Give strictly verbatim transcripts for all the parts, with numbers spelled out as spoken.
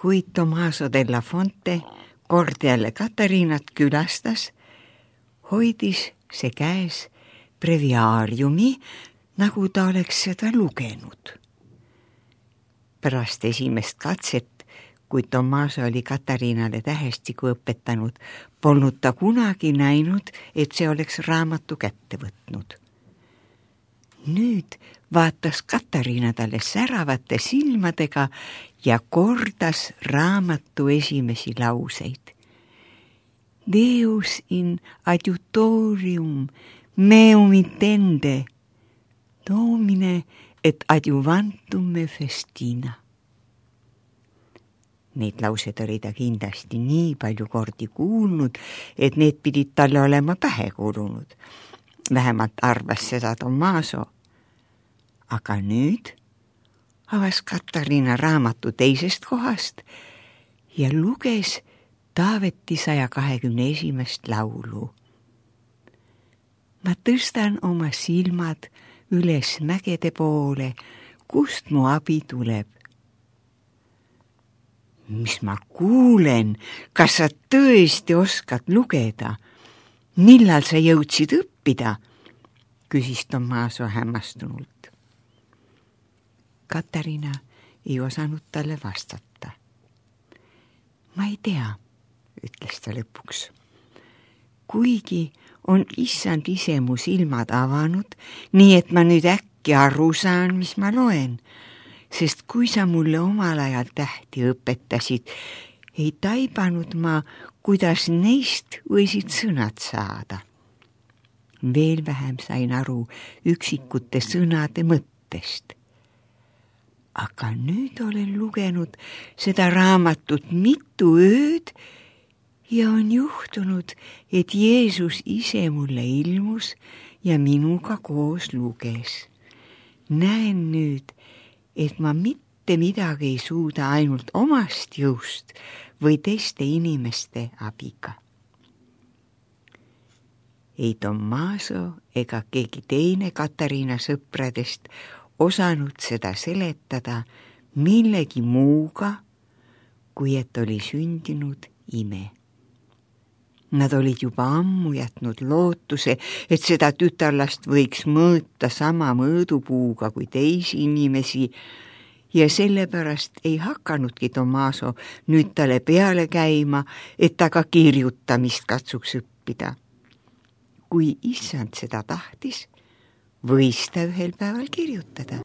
kui Tommaso della Fonte kord jälle Katariinat külastas, hoidis see käes breviaariumi, nagu ta oleks seda lugenud. Pärast esimest katset, kui Tommaso oli Katariinale tähestiku õpetanud, polnud ta kunagi näinud, et see oleks raamatu kätte võtnud. Nüüd vaatas Katariina talle säravate silmadega ja kordas raamatu esimesi lauseid. Deus in adiutorium meum intende, domine et adjuvantum me festina. Neid laused oli ta kindlasti nii palju kordi kuulnud, et need pidid talle olema pähe kuulunud. Vähemalt arvas seda Tommaso. Aga nüüd avas Katariina raamatu teisest kohast ja luges Taaveti saja kahekümne esimest laulu. Ma tõstan oma silmad üles mägede poole, kust mu abi tuleb. Mis ma kuulen, kas sa tõesti oskad lugeda? Millal sa jõudsid õppida? Küsis Tommaso hämmastunult. Katariina ei osanud talle vastata. Ma ei tea, ütles ta lõpuks. Kuigi on issand ise mu silmad avanud, nii et ma nüüd äkki aru saan, mis ma loen, sest kui sa mulle omal ajal tähti õpetasid, ei taibanud ma, kuidas neist võisid sõnad saada. Veel vähem sain aru üksikute sõnade mõttest. Aga nüüd olen lugenud seda raamatut mitu ööd ja on juhtunud, et Jeesus ise mulle ilmus ja minuga koos luges. Näen nüüd, et ma mitte midagi ei suuda ainult omast jõust või teiste inimeste abiga. Ei Tommaso ega keegi teine Katariina sõpradest osanud seda seletada millegi muuga, kui et oli sündinud ime. Nad olid juba ammu jätnud lootuse, et seda tütarlast võiks mõõta sama mõõdupuuga kui teisi inimesi ja sellepärast ei hakanudki Tommaso nüüd talle peale käima, et ta ka kirjutamist katsuks õppida. Kui issand seda tahtis, võis ta ühel päeval kirjutada.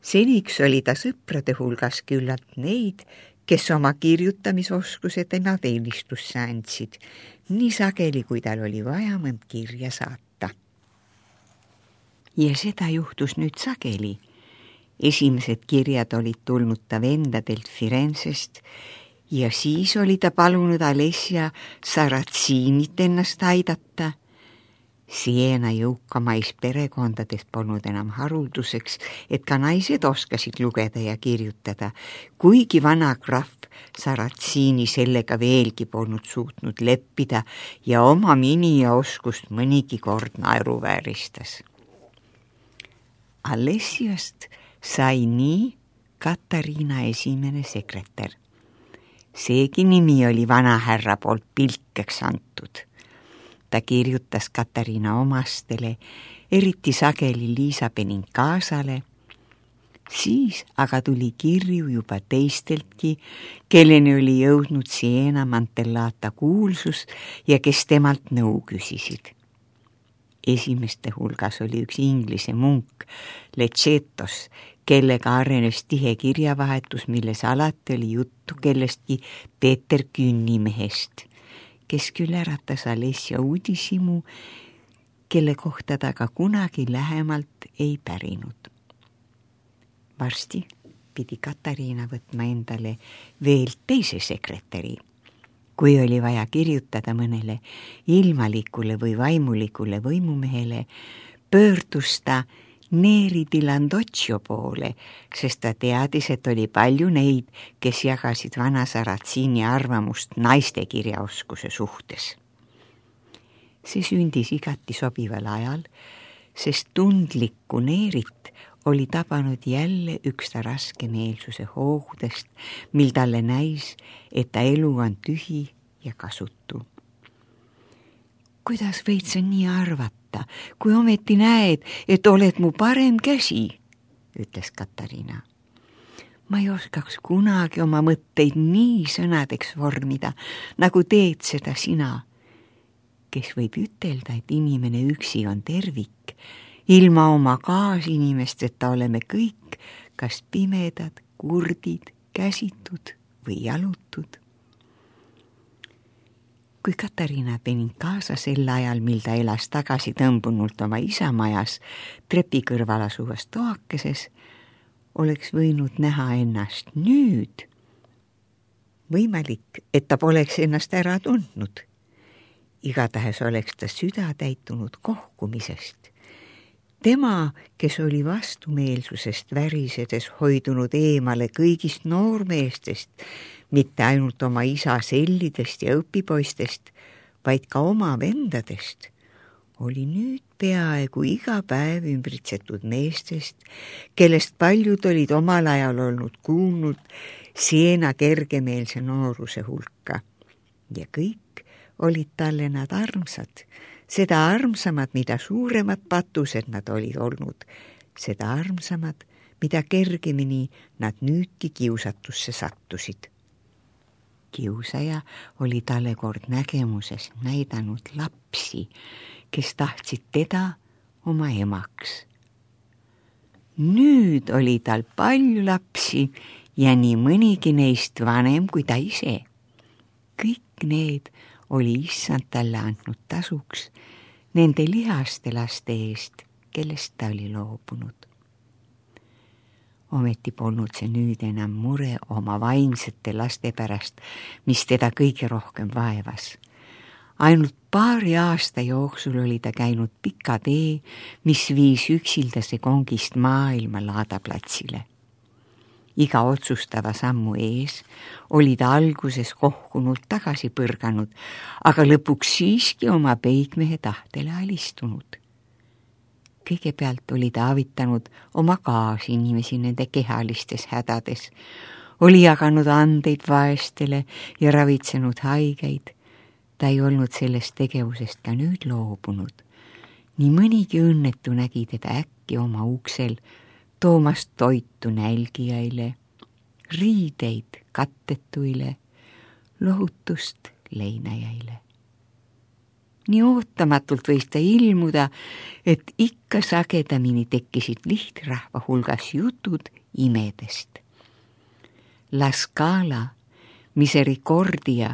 Seniks oli ta sõprade hulgas küllalt neid, kes oma kirjutamisoskused tema teenistusse andsid, nii sageli, kui tal oli vaja mõnd kirja saata. Ja seda juhtus nüüd sageli. Esimesed kirjad olid tulnud ta vendadelt Firenzest ja siis oli ta palunud Alessia Saratsiinit ennast aidata. Siena jõukamais perekondades polnud enam harulduseks, et ka naised oskasid lugeda ja kirjutada, kuigi vana krahv Saratsiini sellega veelgi polnud suutnud leppida ja oma mini ja oskust mõnigi kord naeruvääristas. Alessiast sai nii Katariina esimene sekretär. Seegi nimi oli vanahärra poolt pilkeks antud. Ta kirjutas Katariina omastele, eriti sageli Liisa Benincasale. Siis aga tuli kirju juba teisteltki, kelleni oli jõudnud Siena Mantellata kuulsus ja kes temalt nõu küsisid. Esimeste hulgas oli üks inglise munk, Lechetos, kellega arenes tihe kirjavahetus, milles alati oli juttu kellestki Peeter Künnimehest, kes küll äratas Alessia uudishimu, kelle kohta ta ka kunagi lähemalt ei pärinud. Varsti pidi Katariina võtma endale veel teise sekretäri. Kui oli vaja kirjutada mõnele ilmalikule või vaimulikule võimumehele, pöördus ta Neri di Landocchio poole, sest ta teadis, et oli palju neid, kes jagasid vana Saratsiini arvamust naiste kirjaoskuse suhtes. See sündis igati sobival ajal, sest tundlikku Neerit oli tabanud jälle üks ta raskemeelsuse hoogudest, mil talle näis, et ta elu on tühi ja kasutu. Kuidas võid sa nii arvata, kui ometi näed, et oled mu parem käsi, ütles Katariina. Ma ei oskaks kunagi oma mõtteid nii sõnadeks vormida, nagu teed seda sina, kes võib ütelda, et inimene üksi on tervik. Ilma oma kaasinimesteta oleme kõik kas pimedad, kurdid, käsitud või jalutud. Kui Katariina penin kaasa sel ajal, mil ta elas tagasi tõmbunult oma isamajas trepi kõrval asuvas toakeses, oleks võinud näha ennast nüüd. Võimalik, et ta poleks ennast ära tundnud. Igatahes oleks ta süda täitunud kohkumisest. Tema, kes oli vastumeelsusest värisedes hoidunud eemale kõigist noormeestest, mitte ainult oma isa sellidest ja õpipoistest, vaid ka oma vendadest, oli nüüd peaaegu iga päev ümbritsetud meestest, kellest paljud olid omal ajal olnud kuulnud Siena kergemeelse nooruse hulka. Ja kõik olid talle nad armsad, seda armsamad, mida suuremad patused nad olid olnud, seda armsamad, mida kergemini nad nüüdki kiusatusse sattusid. Kiusaja oli talle kord nägemuses näidanud lapsi, kes tahtsid teda oma emaks. Nüüd oli tal palju lapsi ja nii mõnigi neist vanem kui ta ise. Kõik need oli issand talle andnud tasuks nende lihaste laste eest, kellest ta oli loobunud. Ometi polnud see nüüd enam mure oma vaimsete laste pärast, mis teda kõige rohkem vaevas. Ainult paari aasta jooksul oli ta käinud pika tee, mis viis üksildase kongist maailma laadaplatsile. Iga otsustava sammu ees oli ta alguses kohkunult tagasi põrganud, aga lõpuks siiski oma peigmehe tahtele alistunud. Kõigepealt oli ta avitanud oma kaasinimesi nende kehalistes hädades, oli jaganud andeid vaestele ja ravitsenud haigeid. Ta ei olnud sellest tegevusest ka nüüd loobunud. Nii mõnigi õnnetu nägi teda äkki oma uksel, toomas toitu nälgijaile, riideid kattetuile, lohutust leinajaile. Nii ootamatult võis ta ilmuda, et ikka sagedamini tekkisid lihtrahva hulgas jutud imedest. La Scala, Misericordia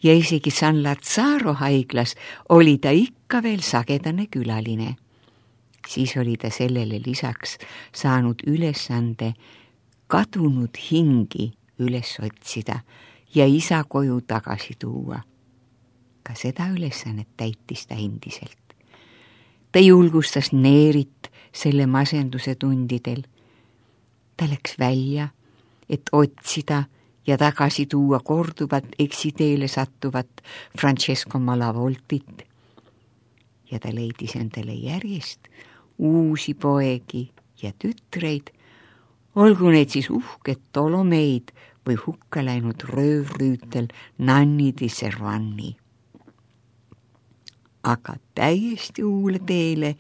ja isegi San Lazzaro haiglas oli ta ikka veel sagedane külaline. Siis oli ta sellele lisaks saanud ülesande kadunud hingi üles otsida ja isa koju tagasi tuua. Ka seda ülesannet täitis ta endiselt. Ta julgustas Neerit selle masenduse tundidel. Ta läks välja, et otsida ja tagasi tuua korduvat eksiteele sattuvat Francesco Malavoltit. Ja ta leidis endale järjest uusi poegi ja tütreid, olgu need siis uhked Tolomeid või hukka läinud röövrüütel Nanni di Servanni. Aga täiesti uule teele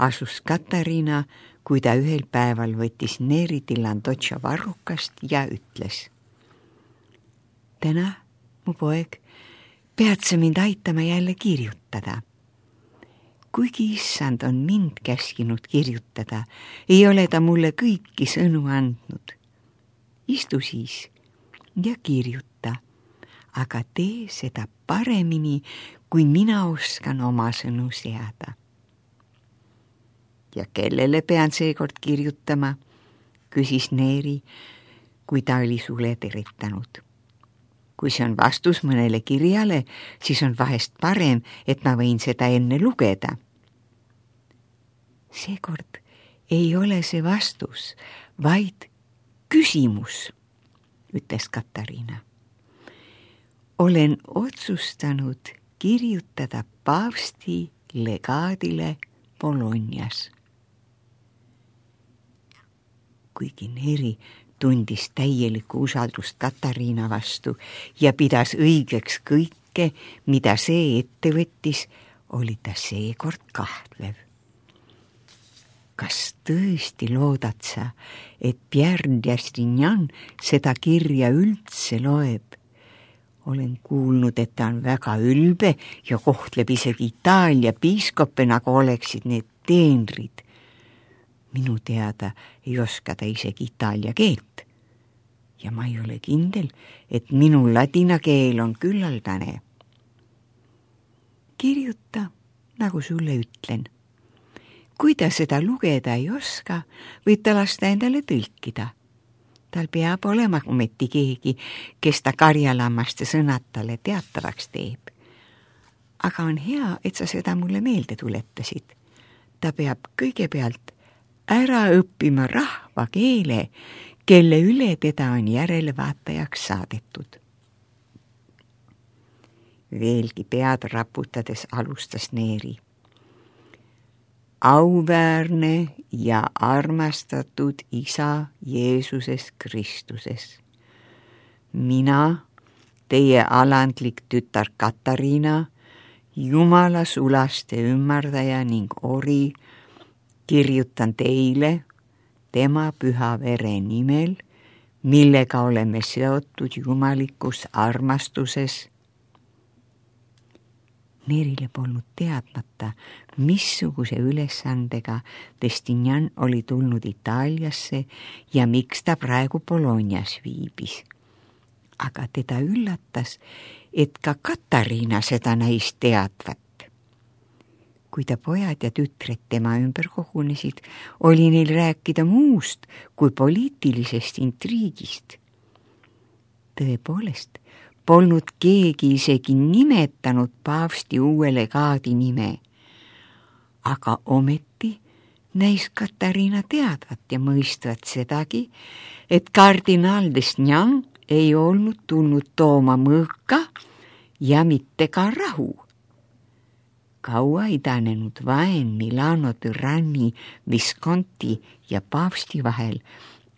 asus Katariina, kui ta ühel päeval võttis Neri di Landoccia varrukast ja ütles: Täna, mu poeg, pead sa mind aitama jälle kirjutada. Kuigi issand on mind käskinud kirjutada, ei ole ta mulle kõiki sõnu andnud. Istu siis ja kirjuta, aga tee seda paremini, kui mina oskan oma sõnu seada. Ja kellele pean seekord kirjutama, küsis Neeri, kui ta oli sule teritanud. Kui see on vastus mõnele kirjale, siis on vahest parem, et ma võin seda enne lugeda. Seekord ei ole see vastus, vaid küsimus, ütles Katariina. Olen otsustanud kirjutada paavsti legaadile Bolognas. kuigi Neri tundis täielikku usaldust Katariina vastu ja pidas õigeks kõike, mida see ette võttis, oli ta seekord kahtlev. Kas tõesti loodad sa, et Pierre d'Astignan seda kirja üldse loeb? Olen kuulnud, et ta on väga ülbe ja kohtleb isegi Itaalia piiskoppe, nagu oleksid need teenrid. Minu teada ei oska ta isegi itaalia keelt. Ja ma ei ole kindel, et minu ladina keel on küllaldane. Kirjuta, nagu sulle ütlen. Kui ta seda lugeda ei oska, võib ta lasta endale tõlkida. Tal peab olema ometi keegi, kes ta karjalammaste sõnad talle teatavaks teeb. Aga on hea, et sa seda mulle meelde tuletasid. Ta peab kõigepealt ära õppima rahva keele, kelle üle teda on järelevaatajaks saadetud. Veelgi pead raputades alustas Neri. Auväärne ja armastatud isa Jeesuses Kristuses. Mina, teie alandlik tütar Katariina, Jumala sulaste ümmardaja ning ori, kirjutan teile tema püha vere nimel, millega oleme seotud jumalikus armastuses. Nerile polnud teadmata, missuguse ülesandega D'Astignan oli tulnud Itaaliasse ja miks ta praegu Bolognas viibis. Aga teda üllatas, et ka Katariina seda näis teadvat. Kui ta pojad ja tütred tema ümber kogunesid, oli neil rääkida muust kui poliitilisest intriigist. Tõepoolest, polnud keegi isegi nimetanud paavsti uue legaadi nime. Aga ometi näis Katariina teadvat ja mõistvat sedagi, et kardinaal D'Astignan ei olnud tulnud tooma mõõka ja mitte ka rahu. Kaua idanenud vaen Milano türanni, Visconti ja paavsti vahel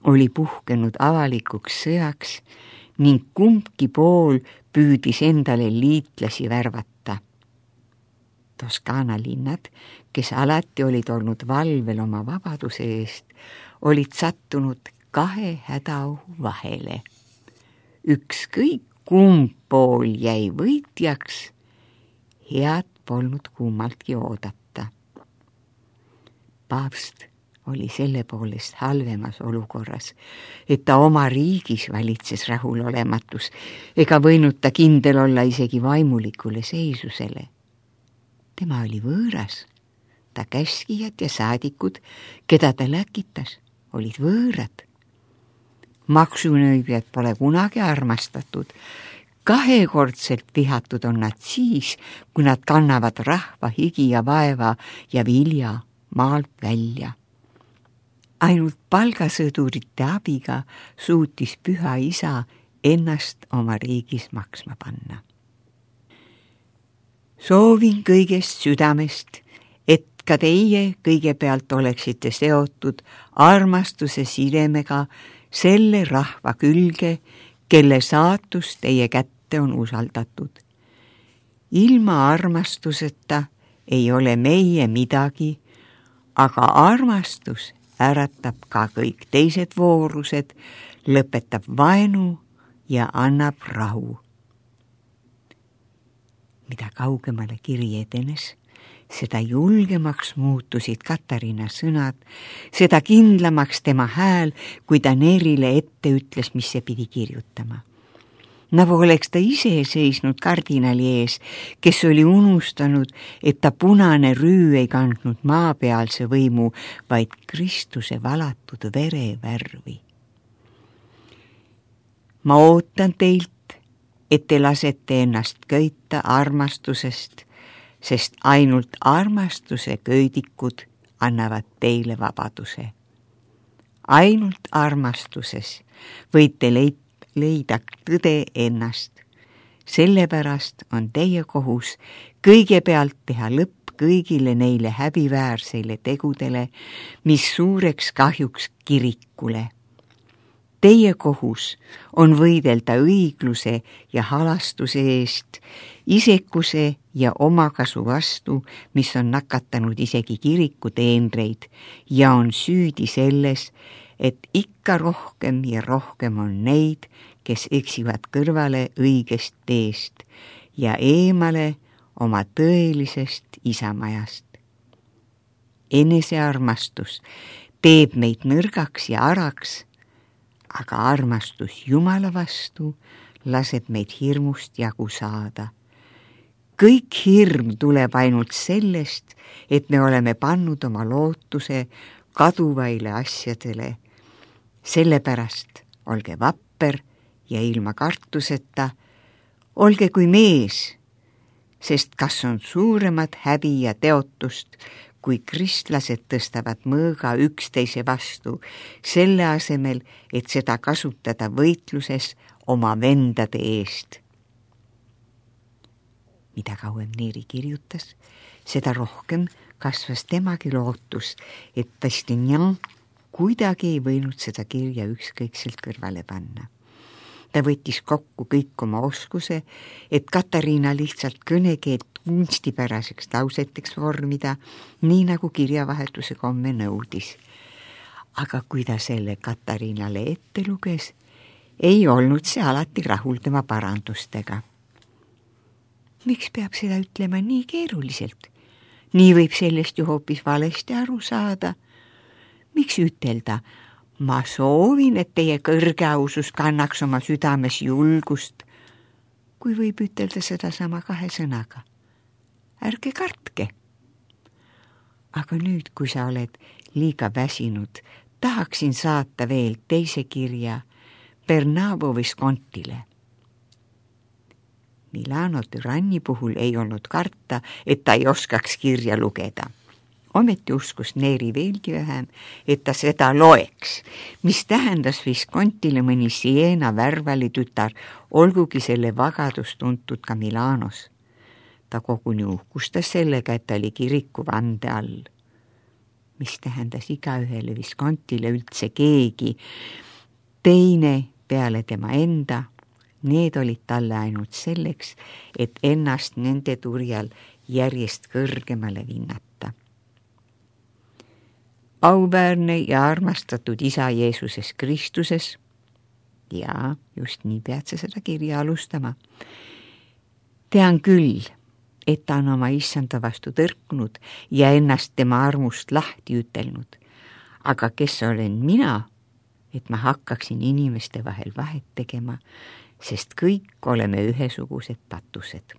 oli puhkenud avalikuks sõjaks ning kumbki pool püüdis endale liitlasi värvata. Toskaana linnad, kes alati olid olnud valvel oma vabaduse eest, olid sattunud kahe hädaohu vahele. Ükskõik kumb pool jäi võitjaks, head polnud kummaltki oodata. Paavst oli selle poolest halvemas olukorras, et ta oma riigis valitses rahulolematus ega võinud ta kindel olla isegi vaimulikule seisusele. Tema oli võõras, ta käskijad ja saadikud, keda ta läkitas, olid võõrad. Maksunõibjad pole kunagi armastatud. Kahekordselt vihatud on nad siis, kui nad kannavad rahva higi ja vaeva ja vilja maalt välja. Ainult palgasõdurite abiga suutis püha isa ennast oma riigis maksma panna. Soovin kõigest südamest, et ka teie kõigepealt oleksite seotud armastuse sidemega selle rahva külge, kelle saatus teie kätte on usaldatud. Ilma armastuseta ei ole meie midagi, aga armastus äratab ka kõik teised voorused, lõpetab vaenu ja annab rahu. Mida kaugemale kiri edenes, seda julgemaks muutusid Katariina sõnad, seda kindlamaks tema hääl, kui ta Nerile ette ütles, mis see pidi kirjutama. Nagu oleks ta ise seisnud kardinali ees, kes oli unustanud, et ta punane rüü ei kandnud maapealse võimu, vaid Kristuse valatud vere värvi. Ma ootan teilt, et te lasete ennast köita armastusest, sest ainult armastuse köidikud annavad teile vabaduse. Ainult armastuses võite leida leida tõde ennast. Sellepärast on teie kohus kõigepealt teha lõpp kõigile neile häbiväärseile tegudele, mis suureks kahjuks kirikule. Teie kohus on võidelda õigluse ja halastuse eest, isekuse ja omakasu vastu, mis on nakatanud isegi kiriku teenreid ja on süüdi selles, et ikka rohkem ja rohkem on neid, kes eksivad kõrvale õigest teest ja eemale oma tõelisest isamajast. Enesearmastus teeb meid nõrgaks ja araks, aga armastus Jumala vastu laseb meid hirmust jagu saada. Kõik hirm tuleb ainult sellest, et me oleme pannud oma lootuse kaduvaile asjadele. Sellepärast olge vapper ja ilma kartuseta, olge kui mees, sest kas on suuremat häbi ja teotust, kui kristlased tõstavad mõõga üksteise vastu, selle asemel, et seda kasutada võitluses oma vendade eest. Mida kauem Neeri kirjutas, seda rohkem kasvas temagi lootus, et D'Estaing kuidagi ei võinud seda kirja ükskõikselt kõrvale panna. Ta võttis kokku kõik oma oskuse, et Katariina lihtsalt kõnekeelt kunstipäraseks lauseteks vormida, nii nagu kirjavahetuse komme nõudis. Aga kui ta selle Katariinale ette luges, ei olnud see alati rahul tema parandustega. Miks peab seda ütlema nii keeruliselt? Nii võib sellest ju hoopis valesti aru saada. Miks ütelda, ma soovin, et teie kõrgeausus kannaks oma südames julgust, kui võib ütelda seda sama kahe sõnaga. Ärge kartke. Aga nüüd, kui sa oled liiga väsinud, tahaksin saata veel teise kirja Bernabo Viscontile. Milano türanni puhul ei olnud karta, et ta ei oskaks kirja lugeda. Ometi uskus Neeri veelgi vähem, et ta seda loeks, mis tähendas Viscontile mõni Siena värvali tütar, olgugi selle vagadus tuntud ka Milanos. Ta koguni uhkustas sellega, et ta oli kiriku vande all, mis tähendas igaühele Viscontile üldse keegi. Teine peale tema enda, need olid talle ainult selleks, et ennast nende turjal järjest kõrgemale vinnata. Auväärne ja armastatud isa Jeesuses Kristuses, ja just nii pead sa seda kirja alustama, tean küll, et ta on oma issanda vastu tõrkunud ja ennast tema armust lahti ütelnud. Aga kes olen mina, et ma hakkaksin inimeste vahel vahet tegema, sest kõik oleme ühesugused patused.